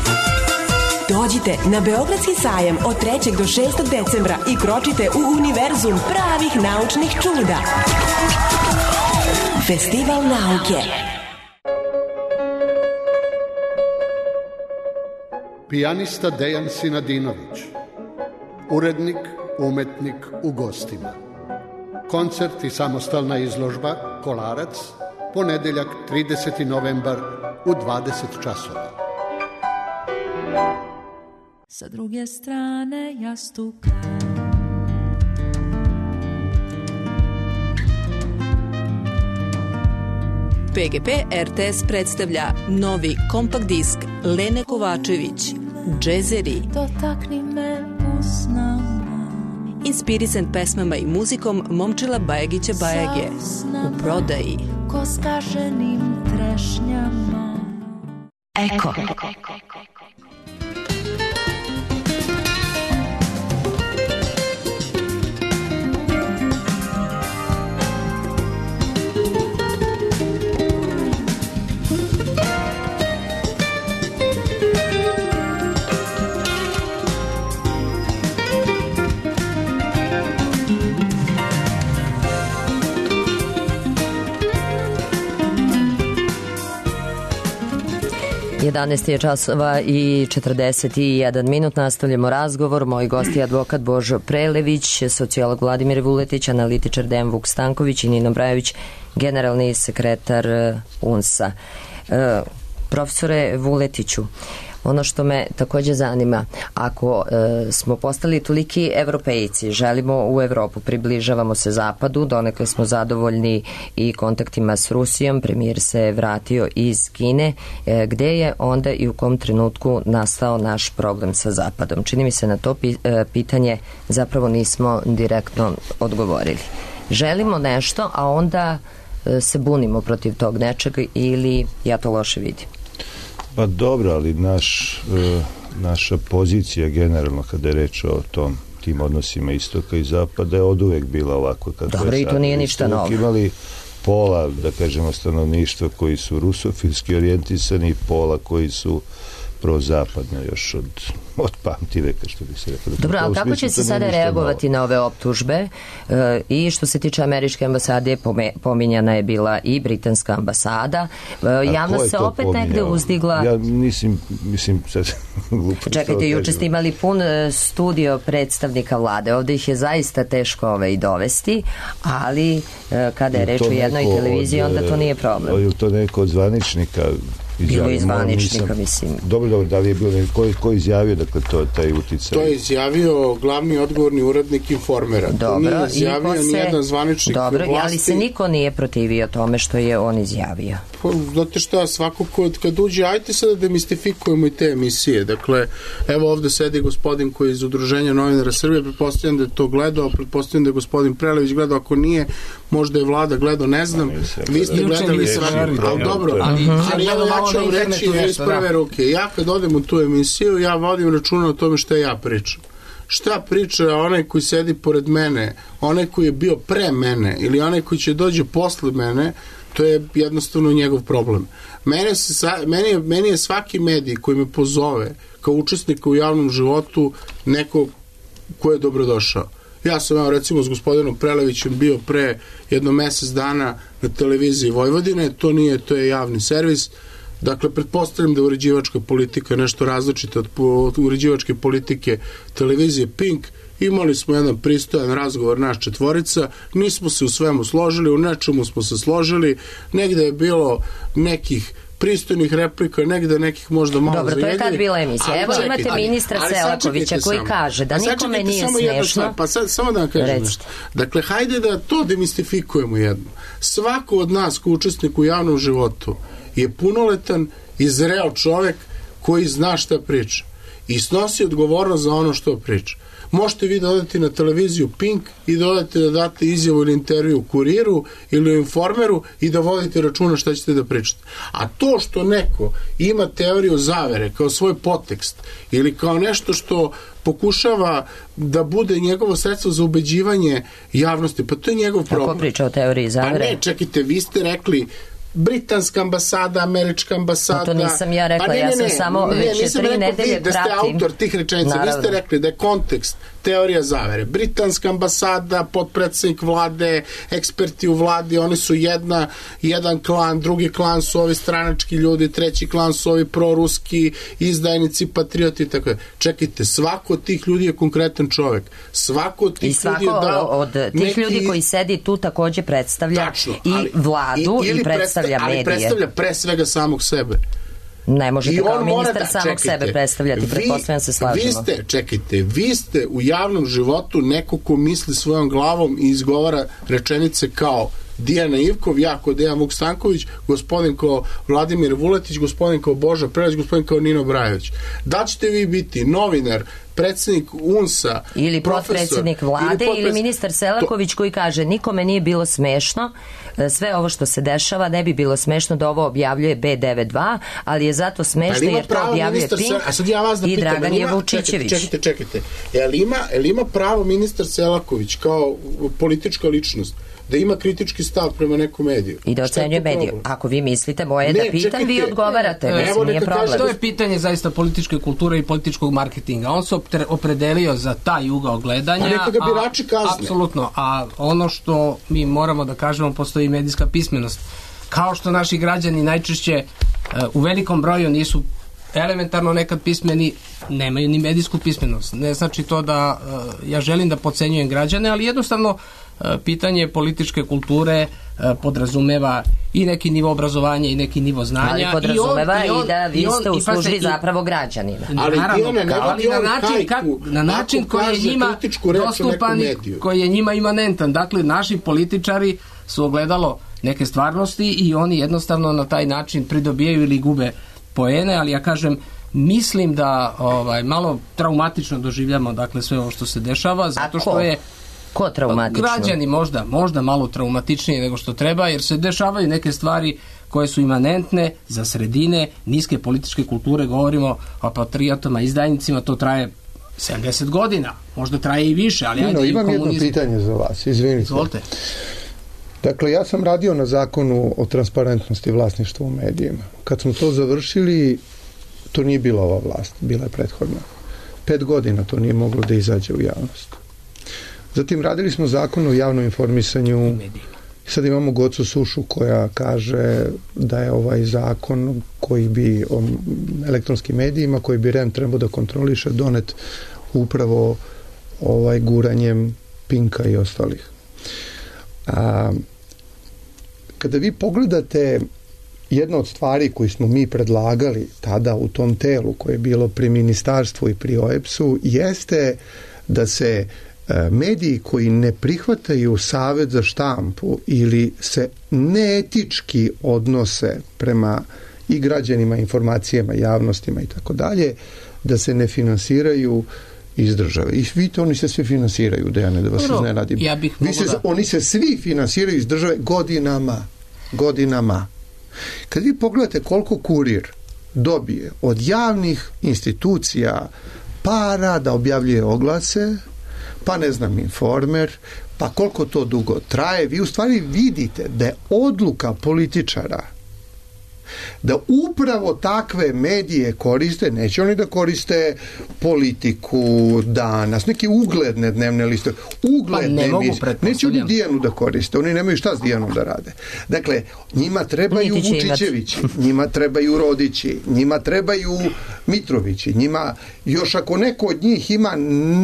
Dođite na Beogradski sajam od trećeg do šestog decembra i kročite u univerzum pravih naučnih čuda. Festival nauke. Pijanista Dejan Sinadinović, urednik, umetnik u gostima. Koncert i samostalna izložba Kolarac, ponedeljak trideseti novembar u dvadeset časova. Sa druge strane jastuka P G P R T S predstavlja novi kompakt disk Lene Kovačević, Džezeri. Dotakni me usnama, inspirisan pesmama i muzikom Momčila Bajagića Bajage. U prodaji. Ko skaženim trešnjama. Eko. jedanaest je časova i četrdeset jedan minut. Nastavljamo razgovor. Moj gost je advokat Božo Prelević, sociolog Vladimir Vuletić, analitičar Dejan Vuk Stanković i Nino Brajović, generalni sekretar U N S-a. E, profesore Vuletiću, ono što me takođe zanima, ako e, smo postali toliki evropejci, želimo u Evropu, približavamo se zapadu, donekle smo zadovoljni i kontaktima s Rusijom, premijer se vratio iz Kine, e, gde je onda i u kom trenutku nastao naš problem sa zapadom? Čini mi se na to pi, e, pitanje zapravo nismo direktno odgovorili. Želimo nešto, a onda e, se bunimo protiv tog nečega ili ja to loše vidim? Pa dobro, ali naš, e, naša pozicija generalno kada je reč o tom, tim odnosima istoka i zapada je od uvek bila ovako. Dobro, i to nije ništa novo. Imali pola, da kažemo, stanovništva koji su rusofilski orijentisani i pola koji su prozapadno još od, od pamti veka, što bi se rekao. Dobro, ali kako će se sada reagovati novo na ove optužbe? E, I što se tiče američke ambasade, pome, pominjana je bila i britanska ambasada. E, javnost se opet pominjao? Negde uzdigla... Ja mislim, mislim sad... Čekajte, juče ste imali pun studio predstavnika vlade. Ovde ih je zaista teško ove i dovesti, ali e, kada je reč o jednoj televiziji, onda to nije problem. Je to neko od zvaničnika bilo je zvaničnika, mislim. Dobro, dobro, da li je bilo neko, ko izjavio, dakle, to, taj uticaj? To je izjavio glavni odgovorni urednik Informera. Dobro, to nije izjavio se, nijedan zvaničnik dobro, vlasti. Ali se niko nije protivio tome što je on izjavio. Pa, znate šta, svako kod, kad uđe, ajte sada da demistifikujemo i te emisije. Dakle, evo ovde sedi gospodin koji je iz Udruženja novinara Srbije, pretpostavljam da je to gledao, pretpostavljam da je gospodin Prelević gledao, ako nije, možda je vlada gledao, ne znam. Vi ste gledali svaki, ali dobro, ali ja ću vam reći iz prve ruke. Ja kad odem u tu emisiju, ja vodim računa o tome šta ja pričam. Šta priča onaj koji sedi pored mene, onaj koji je bio pre mene ili onaj koji će dođe posle mene, to je jednostavno njegov problem. Mene se, meni, je, meni je svaki medij koji me pozove kao učesnika u javnom životu neko ko je dobrodošao. Ja sam, evo, recimo, s gospodinom Prelevićem bio pre jedno mesec dana na televiziji Vojvodine, to nije, to je javni servis. Dakle, pretpostavljam da uređivačka politika je nešto različita od, od uređivačke politike televizije Pink. Imali smo jedan pristojan razgovor naš četvorica, nismo se u svemu složili, u nečemu smo se složili, negde je bilo nekih pristojnih replika, negde nekih možda malo Dobro, zajedljivih. Dobro, to je kad bila emisija. Evo čekajte, imate ministra ali, Selakovića koji samo. kaže da nikome nije smešno. Pa sad, samo da vam kažem Recite. nešto. Dakle, hajde da to demistifikujemo jedno. Svako od nas ko učesnik u javnom životu je punoletan i zreo čovek koji zna šta priča i snosi odgovornost za ono što priča. Možete vi da odete na televiziju Pink i da odete da date izjavu ili intervju u Kuriru ili u Informeru i da vodite računa šta ćete da pričate. A to što neko ima teoriju zavere kao svoj podtekst ili kao nešto što pokušava da bude njegovo sredstvo za ubeđivanje javnosti, pa to je njegov problem. Kako priča o teoriji zavere? Pa ne, čekajte, vi ste rekli britanska ambasada, američka ambasada... To nisam ja rekla, pa ne, ne, ja sam ne, samo ne, već tri nedelje pratim. Da ste autor tih rečenica, vi ste rekli da je kontekst teorija zavere. Britanska ambasada, potpredsednik vlade, eksperti u vladi, oni su jedna, jedan klan, drugi klan su ovi stranački ljudi, treći klan su ovi proruski, izdajnici, patrioti, tako je. Čekajte, svako od tih ljudi je konkretan čovek. Svako od tih ljudi je dao... od tih neki... ljudi koji sedi tu takođe predstavlja Tačno, ali, i vladu i, i predstavlja medije. Ali predstavlja pre svega samog sebe. Ne možete kao ministar da, samog čekajte, sebe predstavljati, pretpostavljam se slažemo. Vi ste, čekajte, vi ste u javnom životu neko ko misli svojom glavom i izgovara rečenice kao Dijana Ivkov, ja kao Dejan Vuk Stanković, gospodin kao Vladimir Vuletić, gospodin kao Boža Preleć, gospodin kao Nino Brajović. Da ćete vi biti novinar, predsjednik U N S-a, ili potpredsjednik vlade ili, potpred... ili ministar Selaković to... koji kaže nikome nije bilo smešno, sve ovo što se dešava ne bi bilo smešno da ovo objavljuje B devedeset dva, ali je zato smešno jer to objavljuje Pink a sad ja vas da i pitam, Dragan ima, Jevučićević. Čekajte, čekajte. Jel ima, jel ima pravo ministar Selaković kao politička ličnost da ima kritički stav prema nekom mediju? I da ocenjuje mediju. Ako vi mislite, moje ne, da pitam, čekajte, vi odgovarate. Ne, mislim, nije problem. Kaže, to je pitanje zaista političke kulture i političkog marketinga. On se opredelio za taj ugao gledanja. A neka ga birači kazne. Apsolutno. A ono što mi moramo da kažemo, postoji medijska pismenost. Kao što naši građani najčešće u velikom broju nisu elementarno nekad pismeni, nemaju ni medijsku pismenost. Ne znači to da ja želim da podcenjujem građane, ali jednostavno pitanje političke kulture podrazumeva i neki nivo obrazovanja i neki nivo znanja. Ali podrazumeva i, on, i, on, i da vi ste u službi zapravo građanina. Ali, naravno, ne, ali na način, kak, na način koji je njima dostupan i koji je njima imanentan. Dakle, naši političari su ogledalo neke stvarnosti i oni jednostavno na taj način pridobijaju ili gube poene, ali ja kažem, mislim da ovaj, malo traumatično doživljamo dakle sve ovo što se dešava, zato što je Ko traumatično? Građani možda, možda malo traumatičnije nego što treba, jer se dešavaju neke stvari koje su imanentne za sredine niske političke kulture, govorimo o patriotama, izdajnicima, to traje sedamdeset godina, možda traje i više, ali ajde. No, imam jedno pitanje za vas, izvinite. Izvolite. Dakle, ja sam radio na zakonu o transparentnosti vlasništva u medijima. Kad smo to završili, to nije bila ova vlast, bila je prethodna. Pet godina to nije moglo da izađe u javnost. Zatim radili smo zakon o javnom informisanju. Sad imamo Gocu Sušu koja kaže da je ovaj zakon koji bi o elektronskim medijima, koji bi R E M trebao da kontroliše, donet upravo ovaj guranjem Pinka i ostalih. A, kada vi pogledate jedna od stvari koju smo mi predlagali tada u tom telu koje je bilo pri ministarstvu i pri O E B S-u jeste da se mediji koji ne prihvataju Savet za štampu ili se neetički odnose prema i građanima, informacijama, javnostima i tako dalje, da se ne finansiraju iz države. I vidite, oni se svi finansiraju, Dejane, da vas iznenadim. Ja bih Vi se, da... Oni se svi finansiraju iz države godinama. Godinama. Kad vi pogledate koliko Kurir dobije od javnih institucija para da objavljuje oglase, pa ne znam, Informer, pa koliko to dugo traje, vi u stvari vidite da je odluka političara da upravo takve medije koriste, neće oni da koriste Politiku, Danas, neke ugledne dnevne liste, ugledne pa emisije, neće oni Dijanu da koriste, oni nemaju šta s Dijanom da rade. Dakle, njima trebaju Vučićevići, njima trebaju Rodići, njima trebaju Mitrovići, njima, još ako neko od njih ima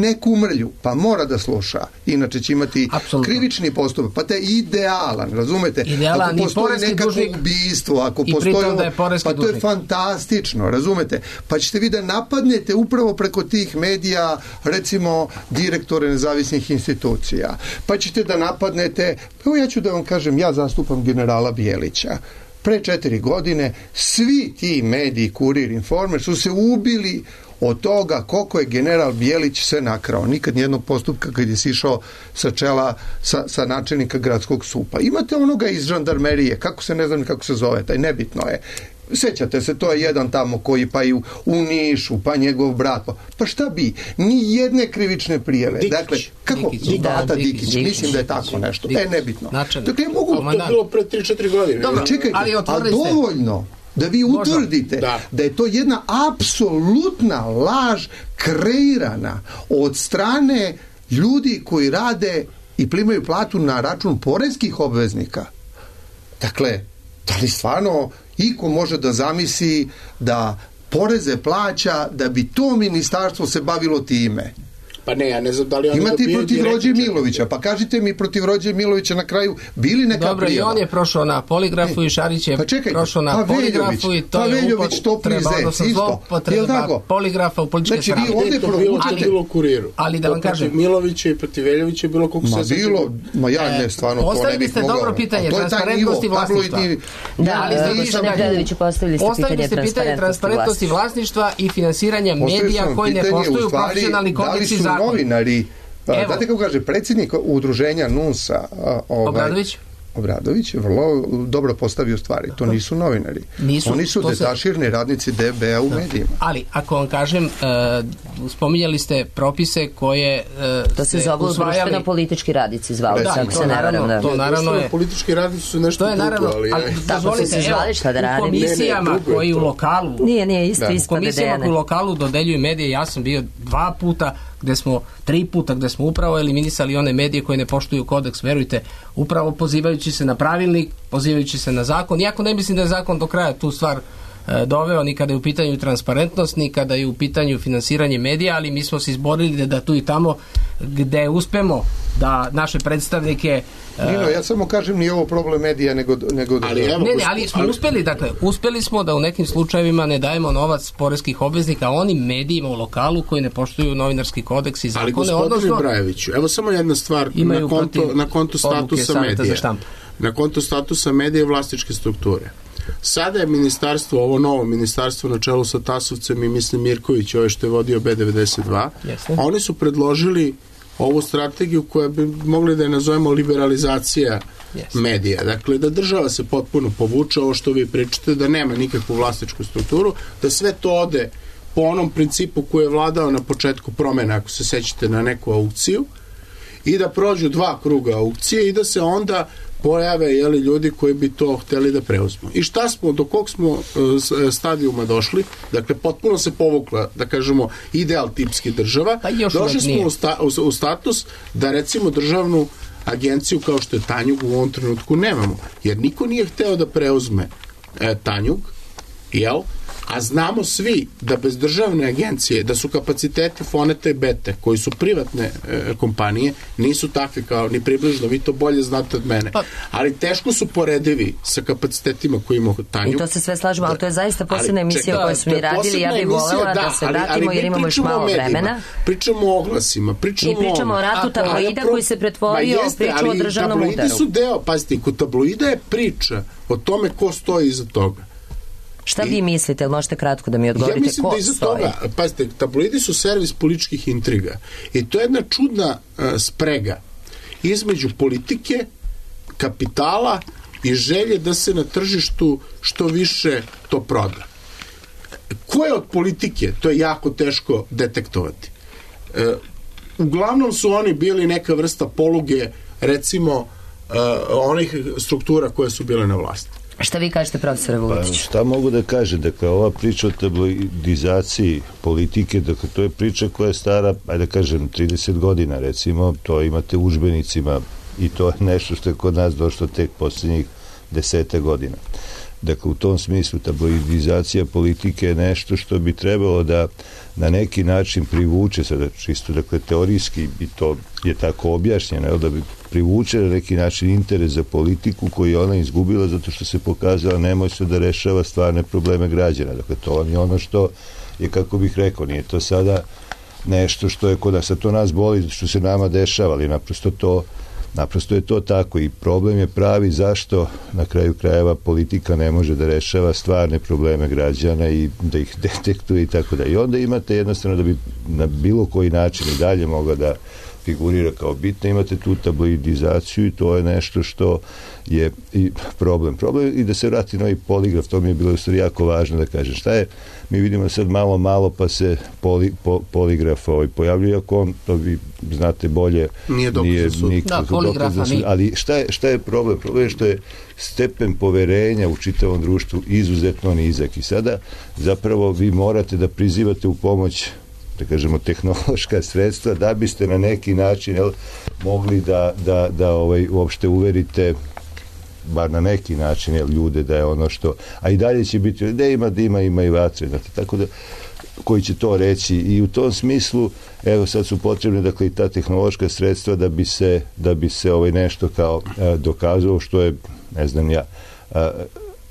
neku mrlju, pa mora da sluša, inače će imati Absolutno. krivični postupak, pa to je idealan, razumete? Idealan, ako postoji nekako dužnik, ubijstvo, ako postoji to je, da je poreski pa to je dužnik. Fantastično, razumete? Pa ćete vi da napadnete upravo preko tih medija, recimo, direktore nezavisnih institucija. Pa ćete da napadnete, evo ja ću da vam kažem, ja zastupam generala Bijelića. Pre četiri godine svi ti mediji, Kurir, Informer, su se ubili od toga koliko je general Bijelić sve nakrao. Nikad nijednog postupka kad je sišao sa čela sa, sa načelnika gradskog supa. Imate onoga iz žandarmerije, kako se, ne znam kako se zove, taj nebitno je. Sećate se, to je jedan tamo koji pa i u, u Nišu, pa njegov brat. Pa šta bi? Ni jedne krivične prijave. Dikić. Dakle, kako? Dikić. Data Da, Dikić. Dikić. Mislim da je tako nešto. Dikić. E, nebitno. Načelnik. Dakle, mogu... To je bilo pre tri četiri godine. Dobro, Čekajte, ali a dovoljno da vi utvrdite da. da je to jedna apsolutna laž kreirana od strane ljudi koji rade i primaju platu na račun poreskih obveznika. Dakle, da li stvarno iko može da zamisli da poreze plaća da bi to ministarstvo se bavilo time? Pa ne, ja ne znam da li oni imate i protiv Rođe direktno. Milovića, pa kažite mi protiv Rođe Milovića na kraju bili neka Dobro, prijava? i on je prošao na poligrafu e, i Šarić je pa čekaj, prošao na pa poligrafu i to pa je Veljović, upotreba, odnosno zloupotreba poligrafa u političke znači, stranke. Ovdje to bilo, ali, bilo u Kuriru. Ali da vam kažem, protiv Milovića i protiv Veljovića je bilo koliko ma se bilo, ma ja ne, stvarno to ne bih mogao. Postavili ste dobro pitanje, transparentnosti vlasništva. Da, ali postavili ste pitanje transparentnosti vlasništva i finansiranja medija koji ne poštuju profesionalni kodeks i zakon. Novinari, znate kako kaže predsjednik udruženja N U S A ovaj, Obradović? Obradović je vrlo dobro postavio stvari. To nisu novinari. Nisu, Oni su detaširni se... radnici D B A u medijima. Ali, ako vam kažem, uh, spominjali ste propise koje uh, to se zovu društveno politički radnici zvali. Da, tako to, se naravno, naravno, to naravno je... Politički radnici su nešto to je naravno, drugo, ali... ali dozvolite, se zvali, šta da radim? U komisijama ne, ne, koji u lokalu... Nije, nije, isto, isto. U komisijama koji u lokalu dodeljuju medije, ja sam bio dva puta, gde smo, tri puta gde smo upravo eliminisali one medije koje ne poštuju kodeks, verujte, upravo pozivajući se na pravilnik, pozivajući se na zakon, iako ne mislim da je zakon do kraja tu stvar e, doveo, ni kada je u pitanju transparentnost, ni kada je u pitanju finansiranje medija, ali mi smo se izborili da, da tu i tamo gde uspemo da naše predstavnike... Nino, ja samo kažem nije ovo problem medija, nego... nego ali, evo, ne, ne, ali smo ali... uspeli, dakle, uspeli smo da u nekim slučajevima ne dajemo novac poreskih obveznika onim medijima u lokalu koji ne poštuju novinarski kodeks i zakone. Ali gospodine odnosno, Brajeviću, evo samo jedna stvar na konto, na konto statusa medija. Na konto statusa medija i vlasničke strukture. Sada je ministarstvo, ovo novo ministarstvo na čelu sa Tasovcem i mislim Mirković, ovo što je vodio B devedeset dva, Jeste. Oni su predložili ovu strategiju koja bi mogli da je nazovemo liberalizacija yes. medija. Dakle, da država se potpuno povuče, ovo što vi pričate, da nema nikakvu vlasničku strukturu, da sve to ode po onom principu koji je vladao na početku promjena, ako se sećate na neku aukciju, i da prođu dva kruga aukcije i da se onda pojave jeli, ljudi koji bi to hteli da preuzmu. I šta smo, do kog smo uh, stadijuma došli? Dakle, potpuno se povukla, da kažemo, ideal tipski država. Pa došli smo u, sta, u, u status da recimo državnu agenciju kao što je Tanjug u ovom trenutku nemamo. Jer niko nije hteo da preuzme e, Tanjug, jel? A znamo svi da bez državne agencije, da su kapaciteti Foneta i Bete, koji su privatne e, kompanije, nisu takvi kao ni približno, vi to bolje znate od mene. Ali teško su poredivi sa kapacitetima koji ima Tanjug. I to se sve slažemo, ali to je zaista posebna emisija koju smo i radili, ja bih voljela da, da se vratimo ali, ali jer imamo još malo medijima, vremena. Pričamo o oglasima, pričamo, I pričamo o ratu tabloida koji se pretvorio u priču o državnom udaru. Tabloidi su deo, pazite, kod tabloida je priča o tome ko stoji iza toga. Šta vi mislite, ili možete kratko da mi odgovorite, ja mislim ko da iza stoji? Toga, pazite, tabloidi su servis političkih intriga i to je jedna čudna uh, sprega između politike, kapitala i želje da se na tržištu što više to proda. Ko je od politike? To je jako teško detektovati. Uh, uglavnom su oni bili neka vrsta poluge, recimo, uh, onih struktura koje su bile na vlasti. Šta vi kažete, profesore Vuletiću? Pa, šta mogu da kažem? Dakle, ova priča o tabloidizaciji politike, dakle, to je priča koja je stara, ajde da kažem, trideset godina, recimo, to imate u udžbenicima i to je nešto što je kod nas došlo tek posljednjih desete godina. Dakle, u tom smislu tabloidizacija politike je nešto što bi trebalo da na neki način privuče, sada čisto, dakle, teorijski i to je tako objašnjeno, da bi privuče na neki način interes za politiku koju je ona izgubila zato što se pokazala nemoćno da rešava stvarne probleme građana. Dakle, to vam je ono što je, kako bih rekao, nije to sada nešto što je kod nas, a to nas boli što se nama dešava, ali naprosto to Naprosto je to tako i problem je pravi zašto na kraju krajeva politika ne može da rešava stvarne probleme građana i da ih detektuje i tako da. I onda imate jednostavno da bi na bilo koji način i dalje mogla da figurira kao bitno, imate tu tabloidizaciju i to je nešto što je i problem. Problem i da se vrati novi poligraf, to mi je bilo u stvari jako važno da kažem. Šta je? Mi vidimo sad malo, malo pa se poli, po, poligraf ovaj pojavljuje, ako on, to vi znate bolje, nije dokaz za sud. Da, poligrafa nije. Ali šta je, šta je problem? Problem je što je stepen poverenja u čitavom društvu izuzetno nizak i sada zapravo vi morate da prizivate u pomoć, da kažemo, tehnološka sredstva da biste na neki način jel, mogli da, da, da ovaj, uopšte uverite bar na neki način jel, ljude da je ono što, a i dalje će biti da ima dima, ima i vatre, znate, tako da koji će to reći i u tom smislu evo sad su potrebne dakle i ta tehnološka sredstva da bi se, da bi se ovaj nešto kao a, dokazalo što je, ne znam ja, a,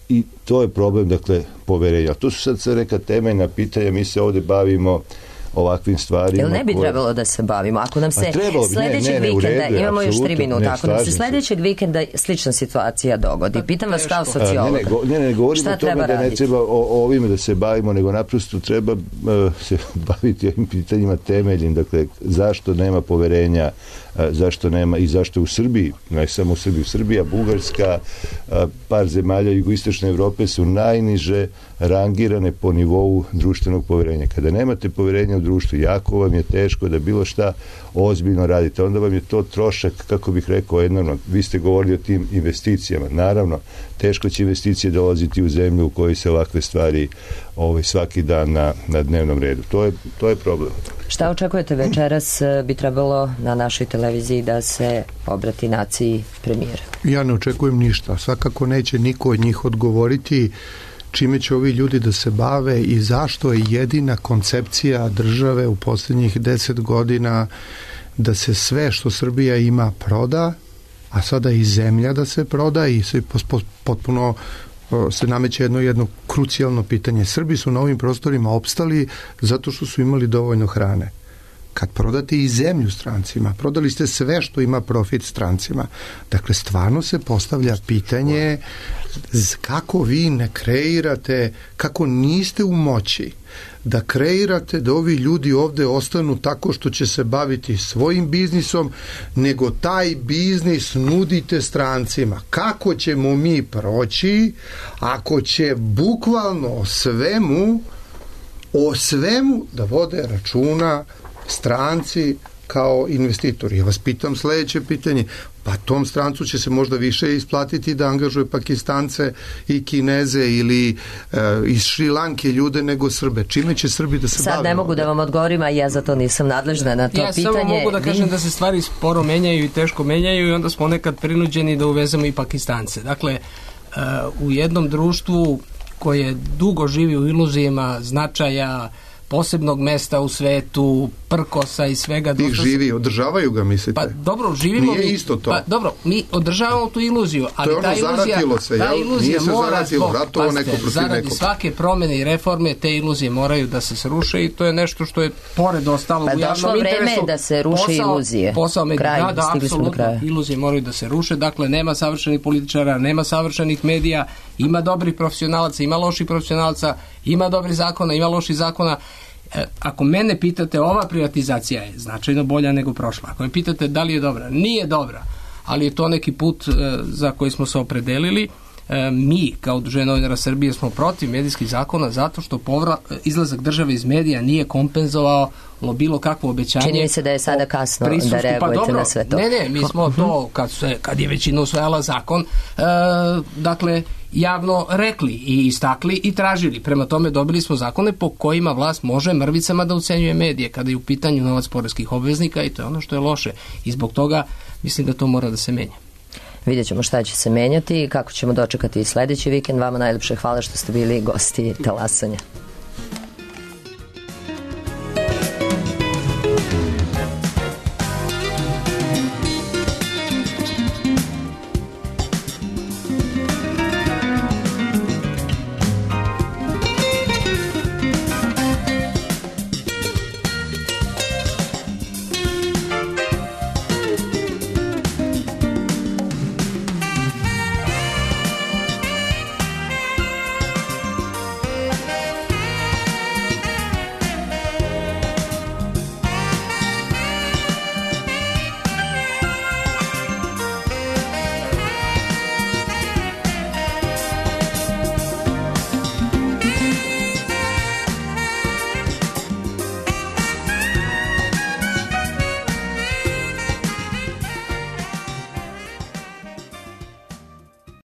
i to je problem dakle poverenja. To su sad sve neka temeljna pitanja, mi se ovde bavimo ovakvim stvarima. Jel ne bi koje... trebalo da se bavimo? Ako nam se trebalo, sledećeg ne, ne, ne, vikenda, redu, imamo još tri minuta, ne, ako nam se sledećeg vikenda slična situacija dogodi, pitam vas kao sociolog. Ne, ne, go, ne, ne govorimo o tome da raditi? Ne treba o, o ovime da se bavimo, nego naprosto treba uh, se baviti ovim pitanjima temeljnim, dakle, zašto nema poverenja, uh, zašto nema i zašto u Srbiji, ne samo u Srbiji, Srbija, Bugarska, uh, par zemalja jugoistočne Evrope su najniže rangirane po nivou društvenog poverenja. Kada nemate poverenja u društvu, jako vam je teško da bilo šta ozbiljno radite. Onda vam je to trošak, kako bih rekao, enormno. Vi ste govorili o tim investicijama. Naravno, teško će investicije dolaziti u zemlju u kojoj se ovakve stvari ovaj, svaki dan na, na dnevnom redu. To je, to je problem. Šta očekujete večeras? Bi trebalo na našoj televiziji da se obrati naciji premijera? Ja ne očekujem ništa. Svakako neće niko od njih odgovoriti čime će ovi ljudi da se bave i zašto je jedina koncepcija države u posljednjih deset godina da se sve što Srbija ima proda, a sada i zemlja da se proda i se potpuno se nameće jedno jedno krucijalno pitanje. Srbi su na ovim prostorima opstali zato što su imali dovoljno hrane. Kad prodate i zemlju strancima, prodali ste sve što ima profit strancima. Dakle, stvarno se postavlja pitanje kako vi ne kreirate, kako niste u moći da kreirate da ovi ljudi ovde ostanu tako što će se baviti svojim biznisom, nego taj biznis nudite strancima. Kako ćemo mi proći ako će bukvalno o svemu o svemu da vode računa stranci kao investitori. Ja vas pitam sledeće pitanje, pa tom strancu će se možda više isplatiti da angažuje Pakistance i Kineze ili e, iz Šrilanke ljude nego Srbe. Čime će Srbi da se bave? Sad ne mogu da vam odgovorim, a ja za to nisam nadležna na to ja pitanje. Ja samo mogu da kažem da se stvari sporo menjaju i teško menjaju i onda smo nekad prinuđeni da uvezemo i Pakistance. Dakle, e, u jednom društvu koje dugo živi u iluzijama značaja, posebnog mesta u svetu, prkosa i svega. Ih živi, održavaju ga, mislite? Pa dobro, živimo Nije mi, isto to. Pa dobro, mi održavamo tu iluziju, ali to je ono, ta iluzija, se, ta iluzija Nije se mora zaratilo, zbog, ratovo neko protiv zaradi nekog. svake promene i reforme, te iluzije moraju da se sruše i to je nešto što je pored ostalo pa u javnom interesu. Pa došlo vreme da se ruše posao, iluzije. Posao medija, Kraj, da, da, apsolutno, iluzije moraju da se ruše, dakle nema savršenih političara, nema savršenih medija, ima dobrih profesionalaca, ima loših profesionalaca, ima dobrih zakona, ima loših zakona. Ako mene pitate, ova privatizacija je značajno bolja nego prošla. Ako me pitate da li je dobra, nije dobra, ali je to neki put e, za koji smo se opredelili. E, mi, kao Udruženje novinara Srbije, smo protiv medijskih zakona zato što povrat, izlazak države iz medija nije kompenzovao bilo kakvo obećanje. Čini mi se da je sada kasno da reagujete pa dobro, na sve to. Ne, ne, mi smo to, kad, se, kad je većina usvajala zakon, e, dakle, javno rekli i istakli i tražili. Prema tome dobili smo zakone po kojima vlast može mrvicama da ucenjuje medije kada je u pitanju novac poreskih obveznika i to je ono što je loše. I zbog toga mislim da to mora da se menja. Vidjet ćemo šta će se menjati i kako ćemo dočekati i sledeći vikend. Vama najlepše hvala što ste bili gosti Talasanja.